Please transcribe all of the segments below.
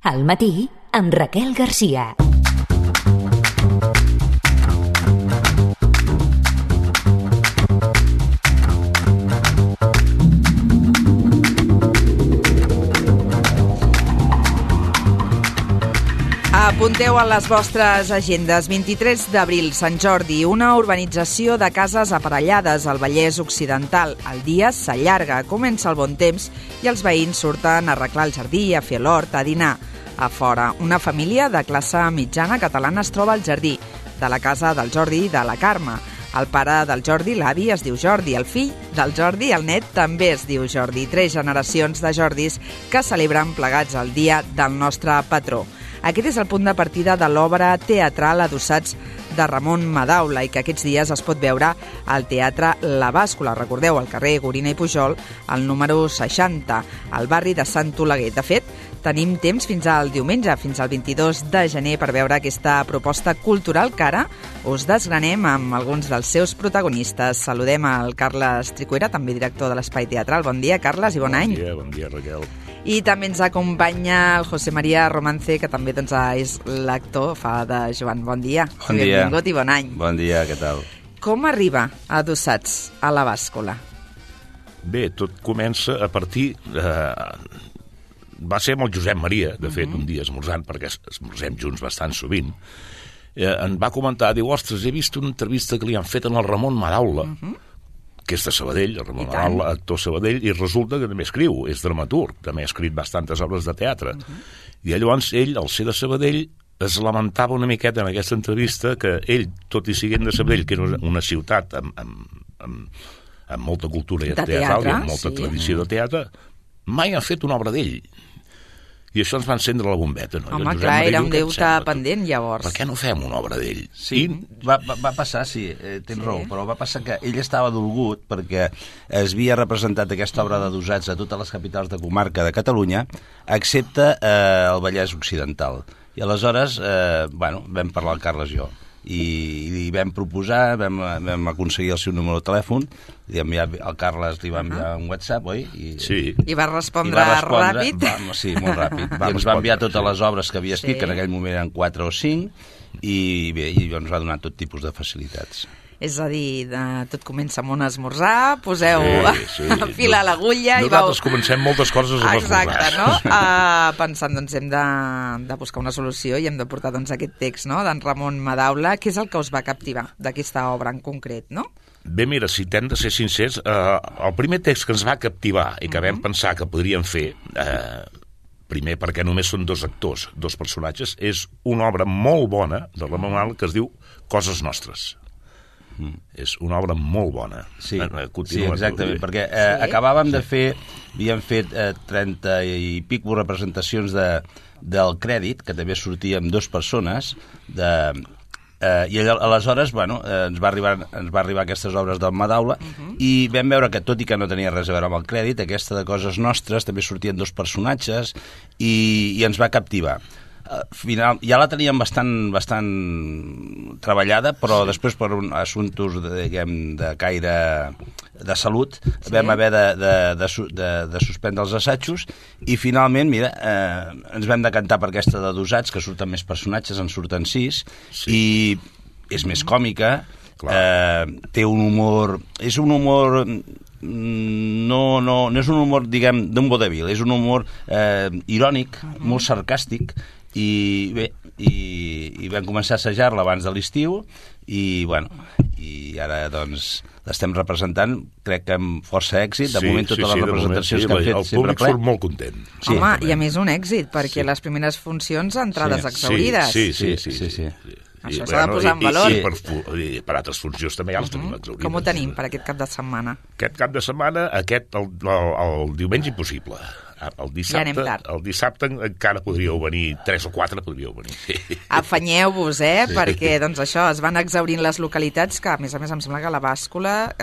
Al matí, amb Raquel Garcia. Apunteu a les vostres agendes. 23 d'abril, Sant Jordi, una urbanització de cases aparellades al Vallès Occidental. El dia s'allarga, comença el bon temps i els veïns surten a arreglar el jardí, a fer l'hort, a dinar. A fora, una família de classe mitjana catalana es troba al jardí, de la casa del Jordi i de la Carme. El pare del Jordi, l'avi, es diu Jordi. El fill del Jordi, el net, també es diu Jordi. 3 generacions de Jordis que celebren plegats el dia del nostre patró. Aquest és el punt de partida de l'obra teatral Adossats de Ramon Madaula i que aquests dies es pot veure al Teatre La Bàscula. Recordeu, al carrer Gorina i Pujol, al número 60, al barri de Sant Oleguer. De fet, tenim temps fins al diumenge, fins al 22 de gener, per veure aquesta proposta cultural que ara us desgranem amb alguns dels seus protagonistes. Saludem al Carles Tricuera, també director de l'Espai Teatral. Bon dia, Carles, i bon any. Bon dia, Raquel. I també ens acompanya el José María Romance, que també és l'actor, fa de Joan. Bon dia. Bon dia. Benvingut i bon any. Bon dia, què tal? Com arriba Adossats a la Bàscula? Bé, tot comença a partir... Va ser amb el Josep Maria, de fet, un dia esmorzant, perquè esmorzem junts bastant sovint, em va comentar, diu, ostres, he vist una entrevista que li han fet al Ramon Madaula, que és de Sabadell, el Ramon Madaula, actor Sabadell, i resulta que també escriu, és dramaturg, també ha escrit bastantes obres de teatre. I llavors ell, al ser de Sabadell, es lamentava una miqueta en aquesta entrevista que ell, tot i siguent de Sabadell, que era una ciutat amb molta cultura teatral i amb molta tradició de teatre, mai han fet una obra d'ell. I això ens va encendre la bombeta. No? Home, clar, era un deute pendent, llavors. Per què no fem una obra d'ell? Sí, va passar, sí, tens raó, però va passar que ell estava dolgut perquè es havia representat aquesta obra d'Adossats a totes les capitals de comarca de Catalunya, excepte el Vallès Occidental. I aleshores, vam parlar el Carles i jo. I li vam proposar, vam aconseguir el seu número de telèfon, el Carles li va enviar un WhatsApp, oi? Sí. I va respondre ràpid? Sí, molt ràpid. I ens va enviar totes les obres que havia escrit, que en aquell moment eren 4 o 5, i bé, ens va donar tot tipus de facilitats. És a dir, tot comença amb un esmorzar, poseu fil a l'agulla i vau... Nosaltres comencem moltes coses amb esmorzar. Exacte, no? Pensant, doncs, hem de buscar una solució i hem de portar, doncs, aquest text, no?, d'en Ramon Madaula. Què és el que us va captivar d'aquesta obra en concret, no? Bé, mira, si t'hem de ser sincers, el primer text que ens va captivar i que vam pensar que podríem fer... primer, perquè només són 2 actors, 2 personatges, és una obra molt bona de Ramon Madaula que es diu Coses nostres. És una obra molt bona. Sí, exactament, perquè acabàvem de fer, havíem fet 30 i pico representacions del Crèdit, que també sortia amb 2 persones, i aleshores, ens va arribar aquestes obres del Madaula, i vam veure que, tot i que no tenia res a veure amb el Crèdit, aquesta de Coses nostres també sortien 2 personatges, i ens va captivar. Ja la teníem bastant treballada, però després per assumptes de caire de salut vam haver de suspendre els assajos i finalment, mira, ens vam decantar per aquesta d'Adossats, que surten més personatges, en surten 6, i és més còmica, té un humor... És un humor... No és un humor, diguem, d'un vodevil, és un humor irònic, molt sarcàstic, i bé, i vam començar a assajar-la abans de l'estiu i ara doncs l'estem representant, crec que amb força èxit, de moment totes les representacions que han fet sempre ple. El públic surt molt content. Home, i a més un èxit, perquè les primeres funcions entrades exhaurides. Sí. Això s'ha de posar en valor. I per altres funcions també ja les tenim exhaurides. Com ho tenim per aquest cap de setmana? Aquest cap de setmana, el diumenge impossible. El dissabte encara podríeu venir, 3 o 4 podríeu venir. Afanyeu-vos, perquè doncs això, es van exhaurint les localitats, que a més em sembla que a la Bàscula,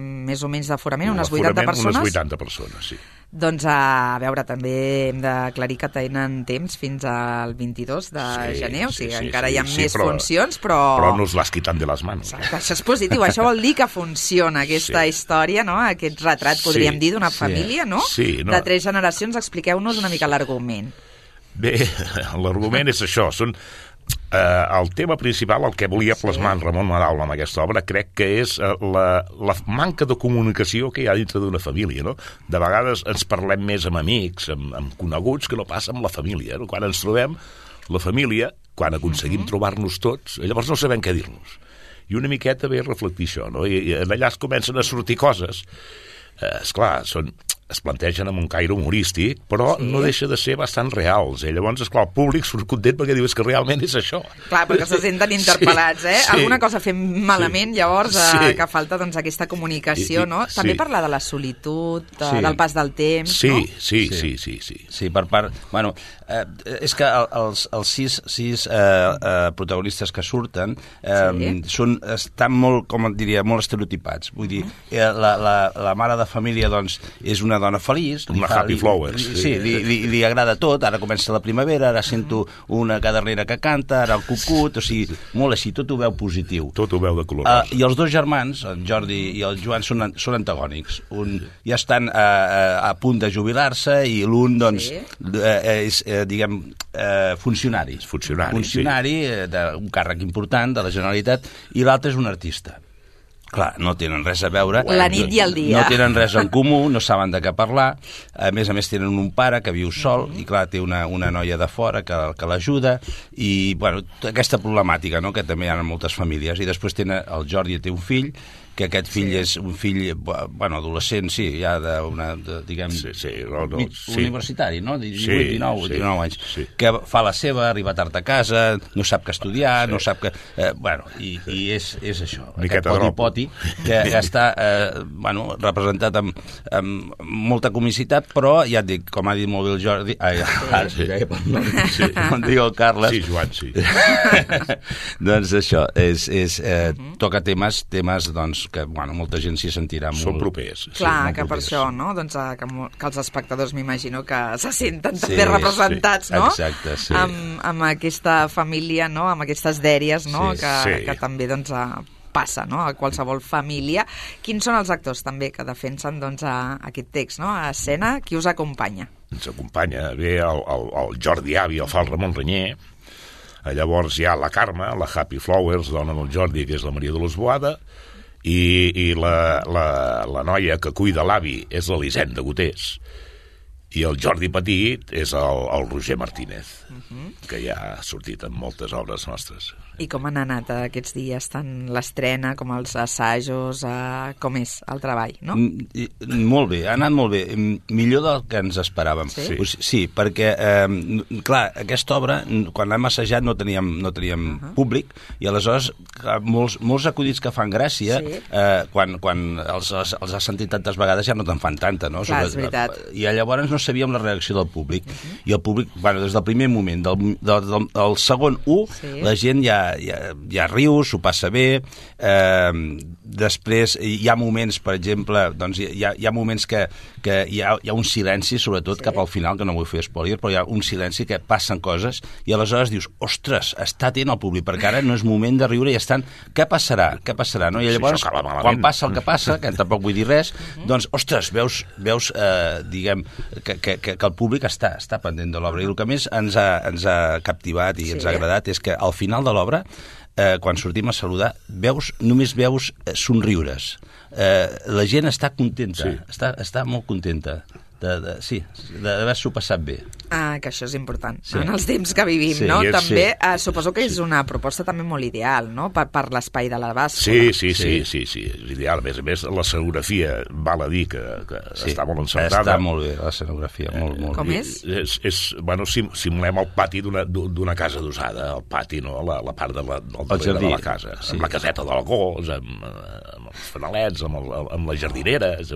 més o menys d'aforament, unes 80 persones. Unes 80 persones, sí. Doncs a veure, també hem d'aclarir que tenen temps fins al 22 de gener, o sigui, encara hi ha més funcions, però... Però no us l'has quitat de les mans. Exacte, això és positiu, això vol dir que funciona aquesta història, no? Aquest retrat, podríem dir, d'una família, no? Sí, no? De 3 generacions. Expliqueu-nos una mica l'argument. Bé, l'argument és això, són... el tema principal, el que volia plasmar en Ramon Madaula amb aquesta obra, crec que és la manca de comunicació que hi ha dintre d'una família, no? De vegades ens parlem més amb amics, amb coneguts, que no passa amb la família, no? Quan ens trobem, la família, quan aconseguim trobar-nos tots, llavors no sabem què dir-nos. I una miqueta ve a reflectir això, no? I allà es comencen a sortir coses. Esclar, es plantegen amb un caire humorístic, però no deixa de ser bastant reals. Llavors, esclar, el públic surt content perquè diu que realment és això. Clar, perquè se senten interpel·lats, eh? Sí. Alguna cosa fem malament, llavors, que falta doncs, aquesta comunicació, no? També parlar de la solitud, del pas del temps, no? Sí. Sí, per part... Bueno, és que els sis protagonistes que surten estan molt, com et diria, molt estereotipats. Vull dir, la mare de família, doncs, és una dona feliç. Una happy flowers. Sí, li agrada tot. Ara comença la primavera, ara sento una cadernera que canta, ara el cucut, o sigui, molt així, tot ho veu positiu. Tot ho veu de color. I els dos germans, el Jordi i el Joan, són antagònics. Un ja estan a punt de jubilar-se i l'un, doncs, és, diguem, funcionari. Funcionari d'un càrrec important de la Generalitat, i l'altre és un artista. Clar, no tenen res a veure. La nit i el dia. No tenen res en comú, no saben de què parlar. A més tenen un pare que viu sol i, clar, té una noia de fora que l'ajuda. I, bueno, aquesta problemàtica, no?, que també hi ha en moltes famílies. I després el Jordi té un fill, que aquest fill és un fill, bueno, adolescent, sí, ja diguem, universitari, no? 19 anys, que fa la seva, arriba tard a casa, no sap què estudiar, no sap què... Bueno, i és això, aquest poti-poti, que està, bueno, representat amb molta comicitat, però, ja et dic, com ha dit molt bé el Jordi... Com diu el Carles... Sí, Joan, sí. Doncs això, toca temes, doncs, que, bueno, molta gent s'hi sentirà molt... Són propers. Clar, que per això, no?, doncs que els espectadors m'imagino que se senten també representats, no? Exacte, sí. Amb aquesta família, no?, amb aquestes dèries, no?, que també, doncs, passa, no?, a qualsevol família. Quins són els actors, també, que defensen, doncs, aquest text, no?, a escena? Qui us acompanya? Ens acompanya, ve el Jordi Avi, el fa el Ramon Renyer. Llavors hi ha la Carme, la Happy Flowers, dona del Jordi, que és la Maria de l'Osboada, i la noia que cuida l'avi és l'Elisenda Gotés, i el Jordi Petit és el Roger Martínez, que ja ha sortit en moltes obres nostres. I com han anat aquests dies, tant l'estrena com els assajos, com és el treball, no? Molt bé, ha anat molt bé, millor del que ens esperàvem. Sí, perquè, clar, aquesta obra, quan l'hem assajat no teníem públic, i aleshores molts acudits que fan gràcia, quan els has sentit tantes vegades ja no te'n fan tanta, no? Clar, és veritat. I llavors no sabíem la reacció del públic, i el públic, bueno, des del primer moment, del segon la gent ja riu, s'ho passa bé. Després hi ha moments, per exemple, doncs hi ha moments que hi ha un silenci, sobretot cap al final, que no vull fer spoiler, però hi ha un silenci que passen coses, i aleshores dius, ostres, està atent el públic, perquè ara no és moment de riure i estan... Què passarà? No? I llavors, quan passa el que passa, que tampoc vull dir res, doncs, ostres, veus diguem, que el públic està pendent de l'obra. I el que més ens ha captivat i ens ha agradat és que al final de l'obra, quan sortim a saludar, només veus somriures. La gent està contenta, està molt contenta d'haver-s'ho passat bé. Que això és important, en els temps que vivim, no? També, suposo que és una proposta també molt ideal, no?, per l'espai de la bàscula. Sí, és ideal. A més, la escenografia, val a dir que està molt encertada. Està molt bé, l'escenografia, molt. Com és? Bueno, simulem el pati d'una casa d'usada, el pati, no?, la part del darrere de la casa, amb la caseta del gos, amb els fanalets, amb les jardineres,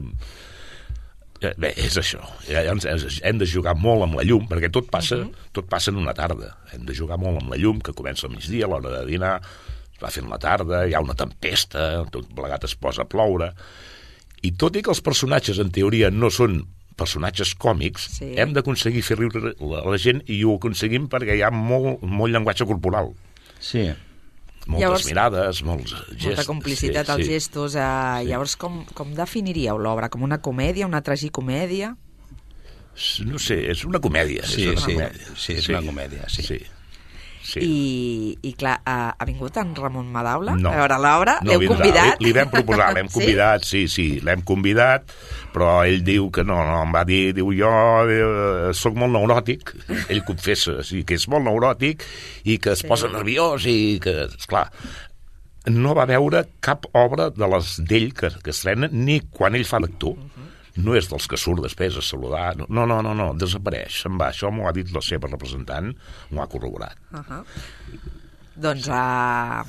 Bé, és això. Hem de jugar molt amb la llum, perquè tot passa en una tarda. Hem de jugar molt amb la llum, que comença al migdia, a l'hora de dinar, es va fent la tarda, hi ha una tempesta, tot plegat es posa a ploure. I tot i que els personatges, en teoria, no són personatges còmics, hem d'aconseguir fer riure la gent, i ho aconseguim perquè hi ha molt llenguatge corporal. Sí. Moltes mirades, molts gestos. Molta complicitat als gestos. Llavors, com definiríeu l'obra? Com una comèdia, una tragicomèdia? No sé, és una comèdia. Sí, és una comèdia, sí. I clar, ha vingut en Ramon Madaula no, a veure l'obra? No l'heu convidat? Li vam proposar, l'hem convidat, sí, l'hem convidat, però ell diu que no, em va dir, jo soc molt neuròtic, ell confessa, sí, que és molt neuròtic i que es posa nerviós i que, esclar, no va veure cap obra de les d'ell que estrena ni quan ell fa l'actor. No és dels que surt després a saludar, no, desapareix, se'n va. Això m'ho ha dit la seva representant, m'ho ha corroborat. Doncs a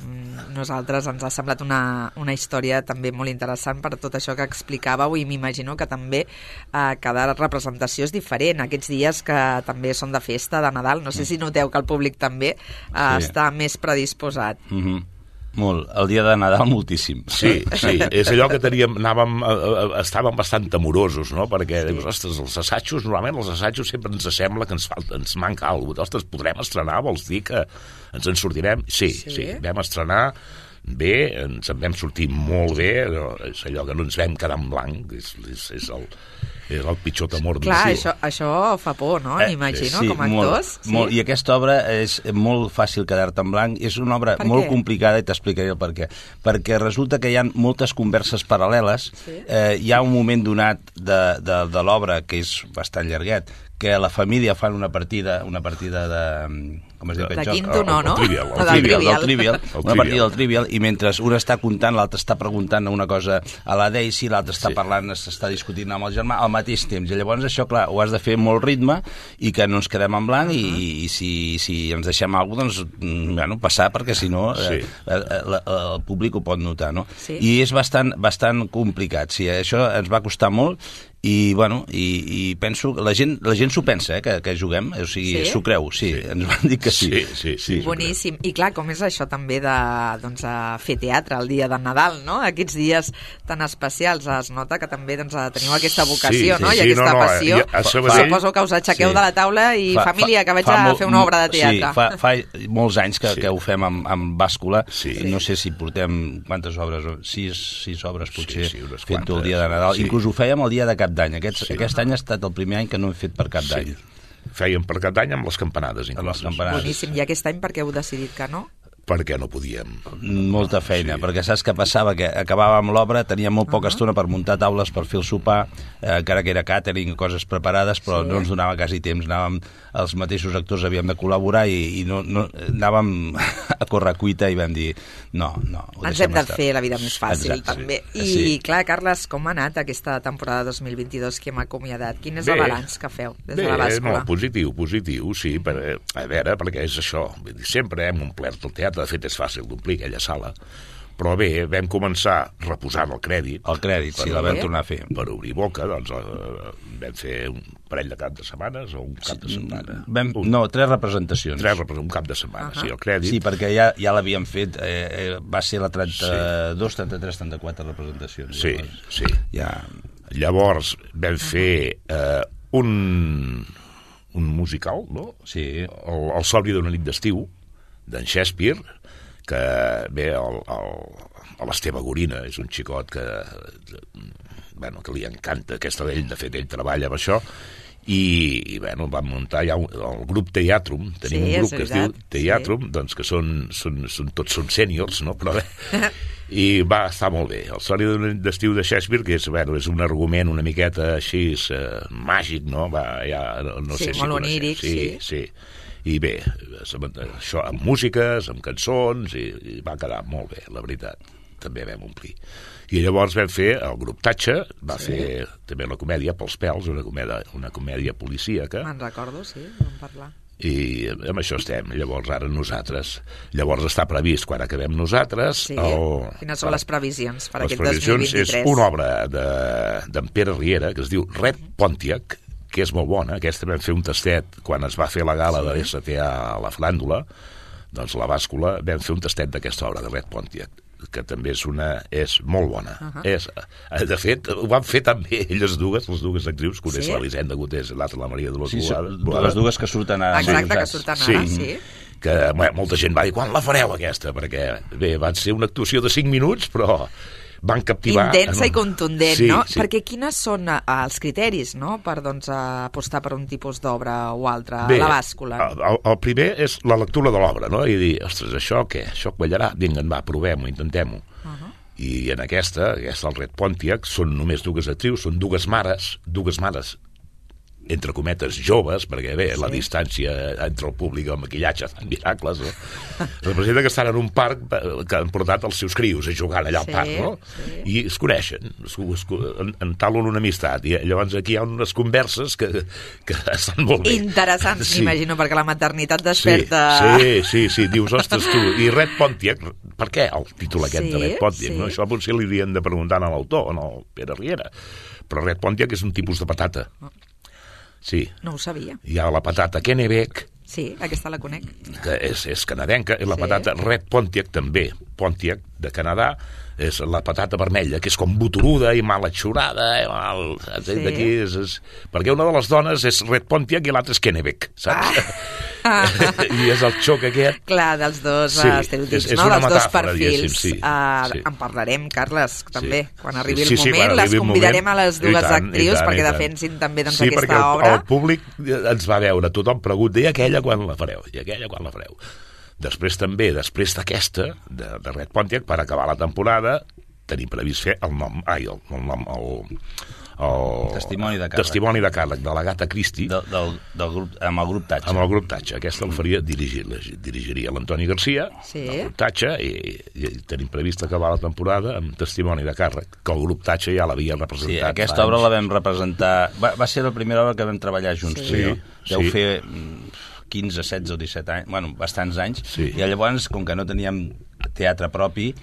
nosaltres ens ha semblat una història també molt interessant per tot això que explicàveu, i m'imagino que també cada representació és diferent. Aquests dies que també són de festa, de Nadal, no sé si noteu que el públic també està més predisposat. Molt. El dia de Nadal, moltíssim. Sí, és allò que estàvem bastant temorosos, no? Perquè, dius, ostres, normalment els assajos sempre ens sembla que ens manca alguna cosa. Ostres, podrem estrenar? Vols dir que ens en sortirem? Sí, vam estrenar bé, ens en vam sortir molt bé, és allò que no ens vam quedar en blanc, és el pitjor temor. Clar, això fa por, no? M'imagino, com a actors. Molt. I aquesta obra és molt fàcil quedar-te en blanc. És una obra molt complicada, i t'explicaré el per què. Perquè resulta que hi ha moltes converses paral·leles. Hi ha un moment donat de l'obra que és bastant llarguet, que la família fan una partida de... Com es diu aquest joc? De quinto no? Del Trivial. Una partida del Trivial, i mentre un està contant, l'altre està preguntant una cosa a la Daisy, l'altre està parlant, s'està discutint amb el germà al mateix temps. I llavors això, clar, ho has de fer molt ritme i que no ens quedem en blanc, i si ens deixem alguna cosa, doncs, passar, perquè si no el públic ho pot notar, no? I és bastant complicat. Sí, això ens va costar molt, i penso que la gent s'ho pensa, que juguem, o sigui, s'ho creu, ens van dir que sí. Boníssim. I clar, com és això també de fer teatre el dia de Nadal, no? Aquests dies tan especials, es nota que també teniu aquesta vocació, no? I aquesta passió. Suposo que us aixequeu de la taula i família, que vaig a fer una obra de teatre. Sí, fa molts anys que ho fem amb bàscula. No sé si portem quantes obres, 6 obres potser, fent-ho el dia de Nadal. Inclús ho fèiem el dia de Cap d'Any. Aquest any ha estat el primer any que no hem fet per Cap d'Any. Fèiem per Cap d'Any amb les campanades. Boníssim. I aquest any per què heu decidit que no? Perquè no podíem. Molta feina, perquè saps què passava? Que acabàvem l'obra, teníem molt poca estona per muntar taules, per fer el sopar, encara que era catering, coses preparades, però no ens donava quasi temps. Els mateixos actors havíem de col·laborar i no anàvem a correcuita i vam dir no. Ens hem de fer la vida més fàcil, també. I clar, Carles, com ha anat aquesta temporada 2022 que hem acomiadat? Quin és el balanç que feu des de la bàscula? Positiu, sí. A veure, perquè és això. Sempre hem omplert el teatre. De fet, és fàcil d'omplir aquella sala, però bé, vam començar reposant el crèdit. El crèdit, sí, la vam tornar a fer. Per obrir boca, doncs vam fer un parell de cap de setmanes o un cap de setmana. No, 3 representacions. Un cap de setmana, sí, el crèdit. Sí, perquè ja l'havíem fet, va ser la 32, 33, 34 representacions. Sí. Llavors vam fer un musical, no? Sí. El Somni d'una nit d'estiu, d'en Shakespeare, que bé, l'Esteve Gorina és un xicot que li encanta aquesta d'ell, de fet ell treballa amb això, i vam muntar ja el grup Teatrum. Tenim un grup que es diu Teatrum, doncs que tots són sèniors, no? Però bé, i va estar molt bé. El Somni d'un d'estiu de Shakespeare, que és un argument una miqueta així màgic, no? Sí, molt oníric, sí. I bé, això amb músiques, amb cançons, i va quedar molt bé, la veritat. També vam omplir. I llavors vam fer el grup Tatxa, va fer també una comèdia pels pèls, una comèdia policíaca. Me'n recordo, sí, vam parlar. I amb això estem, llavors ara nosaltres. Llavors està previst, quan acabem nosaltres... Quines són les previsions per aquest 2023? Les previsions és una obra d'en Pere Riera, que es diu Red Pontiac, que és molt bona. Aquesta vam fer un tastet quan es va fer la gala de l'STA a la Flàndula, doncs la bàscula, vam fer un tastet d'aquesta obra de Red Pontiac, que també és molt bona. De fet, ho van fer també les dues actrius, que una és l'Elisenda Gutés i l'altra la Maria de los Boada. Les dues que surten ara. Exacte, que surten ara, sí. Que molta gent va dir, quan la fareu aquesta? Perquè, bé, va ser una actuació de 5 minuts, però van captivar... Intensa i contundent, sí, no? Sí. Perquè quines són els criteris, no?, per doncs, apostar per un tipus d'obra o altre, Bé, la bàscula. El primer és la lectura de l'obra, no? I dir, ostres, això què? Això quallarà? Vinga, va, provem-ho, intentem-ho. I en aquesta, el Red Pontiac, són només dues actrius, són dues mares, entre cometes, joves, perquè bé, la distància entre el públic i el maquillatge fan miracles, no? Representa que estan en un parc que han portat els seus crios a jugar allà al parc, no? Sí. I es coneixen, entablen una amistat, i llavors aquí hi ha unes converses que estan molt bé. Interessants, m'imagino, perquè la maternitat desperta... Sí, dius, ostres, tu, i Red Pontiac, per què el títol aquest de Red Pontiac? No? Això potser li haurien de preguntar a l'autor, no, Pere Riera, però Red Pontiac és un tipus de patata. Sí. No ho sabia. Hi ha la patata Kennebec, Sí, aquesta la conec. que és canadenca, i la patata Red Pontiac també, Pontiac de Canadà, és la patata vermella, que és com boturuda i mal atxurada, d'aquí perquè una de les dones és Red Pontiac i l'altra és Kennebec, saps? I és el xoc aquest. Clar, dels dos estereotips, és no? una Dels dos metàfora, perfils. sí. En parlarem, Carles, també. Quan arribi el Sí, moment, quan les arribi el convidarem moment. a les dues I tant, actrius i tant, perquè i tant. defensin també doncs, Sí, aquesta perquè obra. el públic ens va veure, tothom pregunta, i aquella quan la fareu? I aquella quan la fareu? Després també, després d'aquesta, de Red Pontiac, per acabar la temporada, tenim previst fer el Testimoni de càrrec. Testimoni de càrrec de l'Agatha Christie Del grup, amb el grup Tatxa. amb el grup Tatxa. Aquesta el dirigiria l'Antoni Garcia, el grup Tatxa, i tenim previst acabar la temporada amb Testimoni de càrrec, que el grup Tatxa ja l'havia representat. Sí, aquesta obra la vam representar... Va ser la primera obra que vam treballar junts. Sí. Deu fer 15, 16 o 17 anys, bueno, bastants anys, i llavors, com que no teníem teatre propi,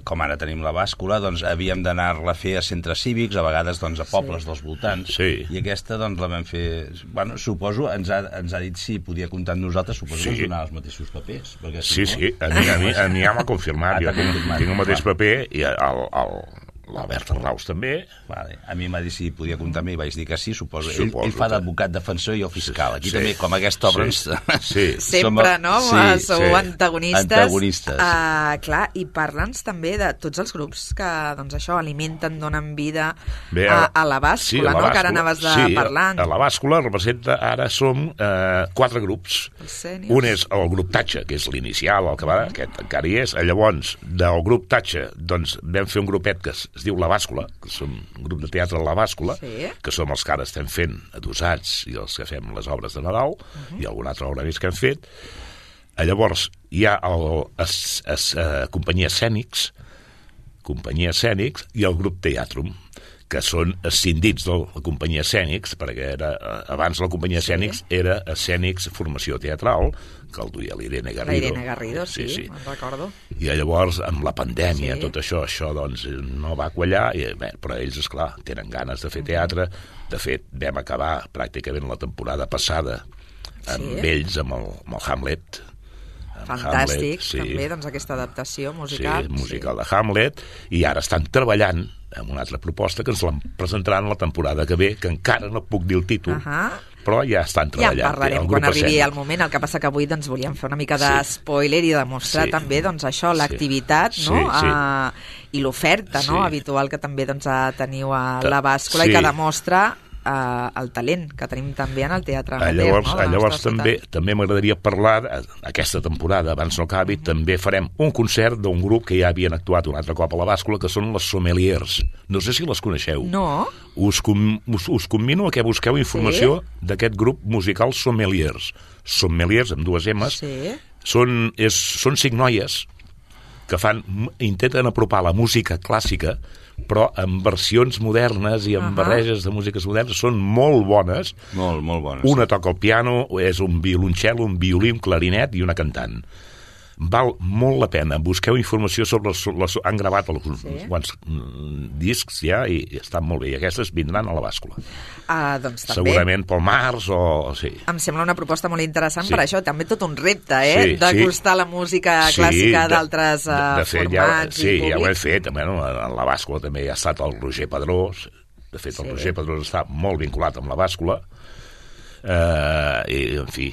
com ara tenim la bàscula, doncs havíem d'anar-la a fer a centres cívics, a vegades doncs, a pobles dels voltants, i aquesta doncs, la vam fer... Bueno, suposo, ens ha dit si podia comptar amb nosaltres, suposo que ens donava els mateixos papers. Perquè, sí, a mi ja m'ha confirmat, jo tinc el mateix paper, i la Berta Raus també. Vale. A mi m'ha dit si podia comptar amb mi, vaig dir que sí, suposo. Ell fa d'advocat defensor i jo fiscal. Aquí també, com aquesta obra... Sempre, no? Sou antagonistes. Antagonistes. Clar, i parla'ns també de tots els grups que, doncs això, alimenten, donen vida a la bàscula, no? Que ara anaves parlant. Sí, a la bàscula representa, ara som 4 grups. Un és el grup Tatxa, que és l'inicial, el que va, aquest encara hi és. Llavors, del grup Tatxa, doncs, vam fer un grupet que es diu La Bàscula, que som un grup de teatre La Bàscula, que som els que ara estem fent adossats i els que fem les obres de Nadal, i alguna altra obra més que hem fet. Llavors hi ha Companyia Escènics i el grup Teatrum, que són escindits de la Companyia Escènics, perquè abans la Companyia Escènics era Escènics Formació Teatral, que el duia l'Irene Garrido. L'Irene Garrido, sí, me'n recordo. I llavors, amb la pandèmia, tot això doncs no va quallar, però ells, esclar, tenen ganes de fer teatre. De fet, vam acabar pràcticament la temporada passada amb ells, amb el Hamlet. Fantàstic, també, doncs, aquesta adaptació musical. Sí, musical de Hamlet, i ara estan treballant amb una altra proposta que ens la presentaran la temporada que ve, que encara no puc dir el títol, però ja estan treballant. Ja en parlarem quan arribi el moment. El que passa que avui doncs, volíem fer una mica de spoiler i demostrar també doncs, això, l'activitat, no? I l'oferta habitual que també doncs, teniu a la bàscula i que demostra el talent que tenim també en el teatre amateur. Llavors també m'agradaria parlar, aquesta temporada, abans no acabi, també farem un concert d'un grup que ja havien actuat un altre cop a la bàscula, que són les Sommeliers. No sé si les coneixeu. No. Us convino a que busqueu informació d'aquest grup musical Sommeliers. Sommeliers, amb 2 M's. Són 5 noies que intenten apropar la música clàssica, però amb versions modernes i amb barreges de músiques modernes. Són molt bones. Molt bones. Una toca el piano, és un violoncel, un violí, un clarinet i una cantant. Val molt la pena. Busqueu informació sobre han gravat quants discs ja i estan molt bé. I aquestes vindran a la bàscula. Doncs també. Segurament pel març o... Sí. Em sembla una proposta molt interessant per això. També tot un repte, d'acostar la música clàssica d'altres formats i públics. Ja ho hem fet. En la bàscula també hi ha estat el Roger Pedrós. De fet, el Roger Pedrós està molt vinculat amb la bàscula. I, en fi...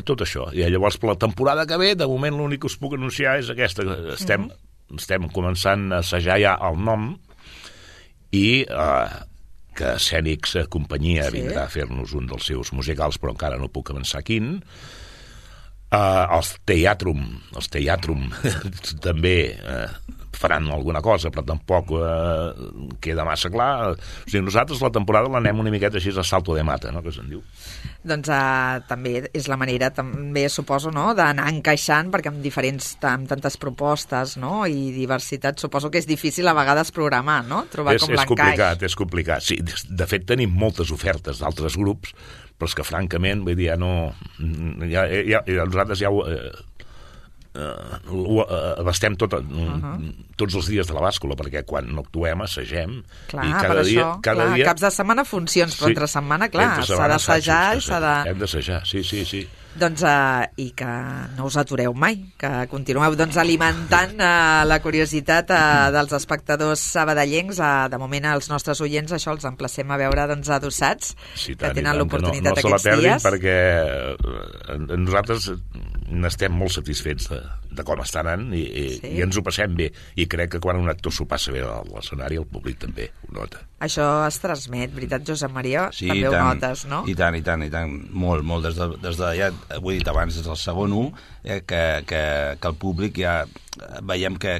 tot això. I llavors, per la temporada que ve, de moment l'únic que us puc anunciar és aquesta. Estem estem començant a assajar ja el nom i que Escènics Companyia vindrà a fer-nos un dels seus musicals, però encara no puc avançar quin. Els Teatrum també faran alguna cosa, però tampoc queda massa clar. O sigui, nosaltres la temporada l'anem una miqueta així a salto de mata, no?, que se'n diu. Doncs també és la manera, també suposo, no?, d'anar encaixant, perquè amb tantes propostes, no?, i diversitat, suposo que és difícil a vegades programar, no?, trobar com l'encaix. És complicat. Sí, de fet tenim moltes ofertes d'altres grups, però és que francament, vull dir, nosaltres ja ho abastem tots els dies de la bàscula, perquè quan no actuem assagem. Clar, i cada dia caps de setmana funcions, però entre setmana, clar, s'ha d'assajar i s'ha de... Hem d'assajar, sí. Doncs, i que no us atureu mai, que continueu alimentant la curiositat dels espectadors sabadellencs. De moment, als nostres oients, això els emplacem a veure Adossats, que tenen l'oportunitat aquests dies. No se la perdin, perquè nosaltres n'estem molt satisfets de com està anant i ens ho passem bé. I crec que quan un actor s'ho passa bé a l'escenari, el públic també ho nota. Això es transmet, veritat, Josep Maria? Sí, també ho notes, no? I tant. Molt. Des de ja ho he dit abans, des del segon 1, que el públic ja veiem que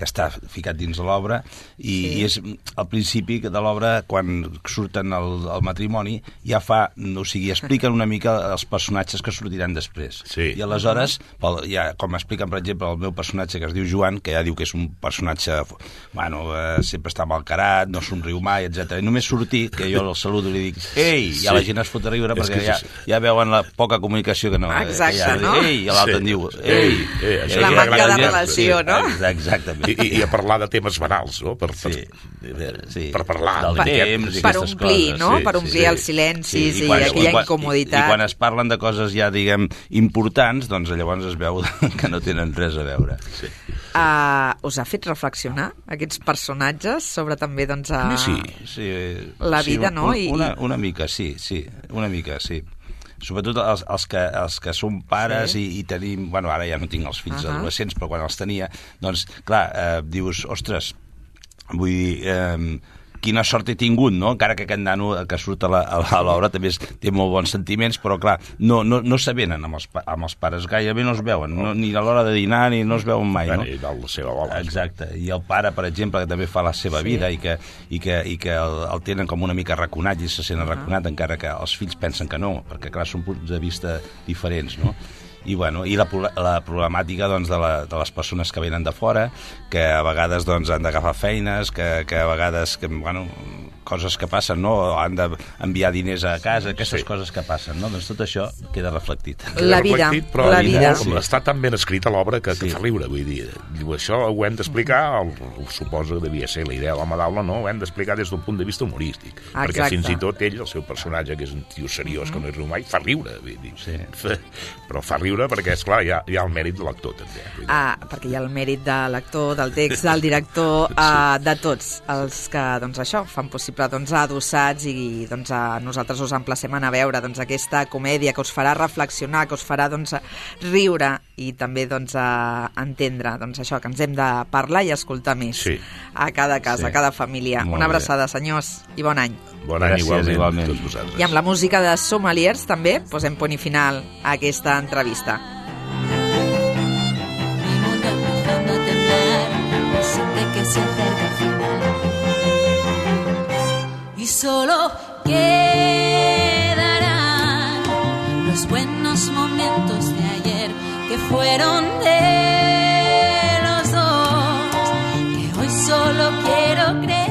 està ficat dins de l'obra i és al principi de l'obra, quan surten al matrimoni, ja expliquen una mica els personatges que sortiran després. Sí. I aleshores, com expliquen, per exemple, el meu personatge que es diu Joan, que ja diu que és un personatge, sempre està malcarat, no somriu mai, etc. I només sortir, que jo el saludo i li dic ei, i la gent es fot a riure perquè ja veuen la poca comunicació que no... Exacte, no? Ei, i l'altre en diu ei. La manca de relació, no? Exactament. I a parlar de temes banals, no? Per parlar del temps, per omplir, no? Per omplir els silencis i aquella incomoditat. I quan es parlen de coses ja, diguem, importants, doncs llavors es veu que no tenen res a veure. Sí. Us ha fet reflexionar aquests personatges sobre també la vida, no? Una mica, sí. Sobretot els que som pares i tenim... ara ja no tinc els fills adolescents, però quan els tenia, doncs, clar, dius, ostres, vull dir... quina sort he tingut, no? Encara que aquest nano que surt a l'obra també té molt bons sentiments, però clar, no s'avenen amb els pares, gairebé no es veuen, ni a l'hora de dinar ni no es veuen mai, no? I la seva bola. Exacte, i el pare, per exemple, que també fa la seva vida i que el tenen com una mica arraconat i se sent arraconat, encara que els fills pensen que no, perquè clar, són punts de vista diferents, no? I la problemàtica de les persones que venen de fora, que a vegades han d'agafar feines, que a vegades coses que passen, no? Han d'enviar diners a casa, aquestes coses que passen, no? Doncs tot això queda reflectit. La vida. Però està tan ben escrita l'obra que fa riure, vull dir. Això ho hem d'explicar, suposo que devia ser la idea de la Madaula, no? Ho hem d'explicar des d'un punt de vista humorístic. Perquè fins i tot ell, el seu personatge, que és un tio seriós, que no és riu mai, fa riure, vull dir. Però fa riure perquè, esclar, hi ha el mèrit de l'actor, també. Perquè hi ha el mèrit de l'actor, del text, del director, de tots els que, això, fan possible Adossats i nosaltres us emplacem a anar a veure aquesta comèdia que us farà reflexionar, que us farà riure i també entendre això, que ens hem de parlar i escoltar més a cada casa, a cada família. Una abraçada, senyors, i bon any. Bon any, igualment. Tots vosaltres. I amb la música de Sommeliers també posem punt i final a aquesta entrevista. Mi mundo empezando a temblar, siente que se acerca el final. Y solo quedarán los buenos momentos de ayer que fueron de los dos, que hoy solo quiero creer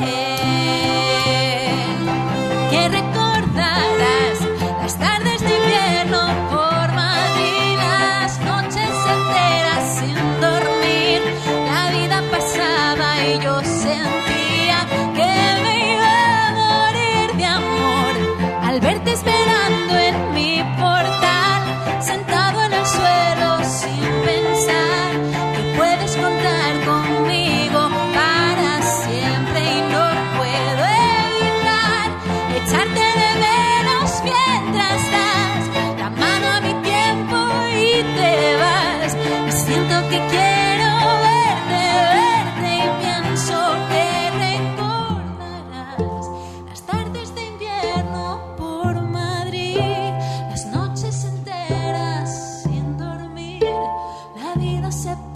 que recordarás las tardes de invierno por Madrid, las noches enteras sin dormir, la vida pasaba y yo sentía que me iba a morir de amor al verte esperando en mi portal, sentado en el suelo sin pensar que puedes contar conmigo para siempre y no puedo evitar echarte de menos mientras das la mano a mi tiempo y te vas, y siento que quiero ver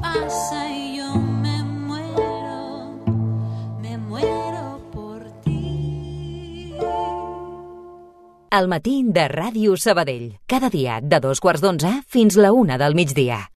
pasa y yo me muero por ti. Al matí de Ràdio Sabadell. Cada dia de 2:15 fins la 1 del migdia.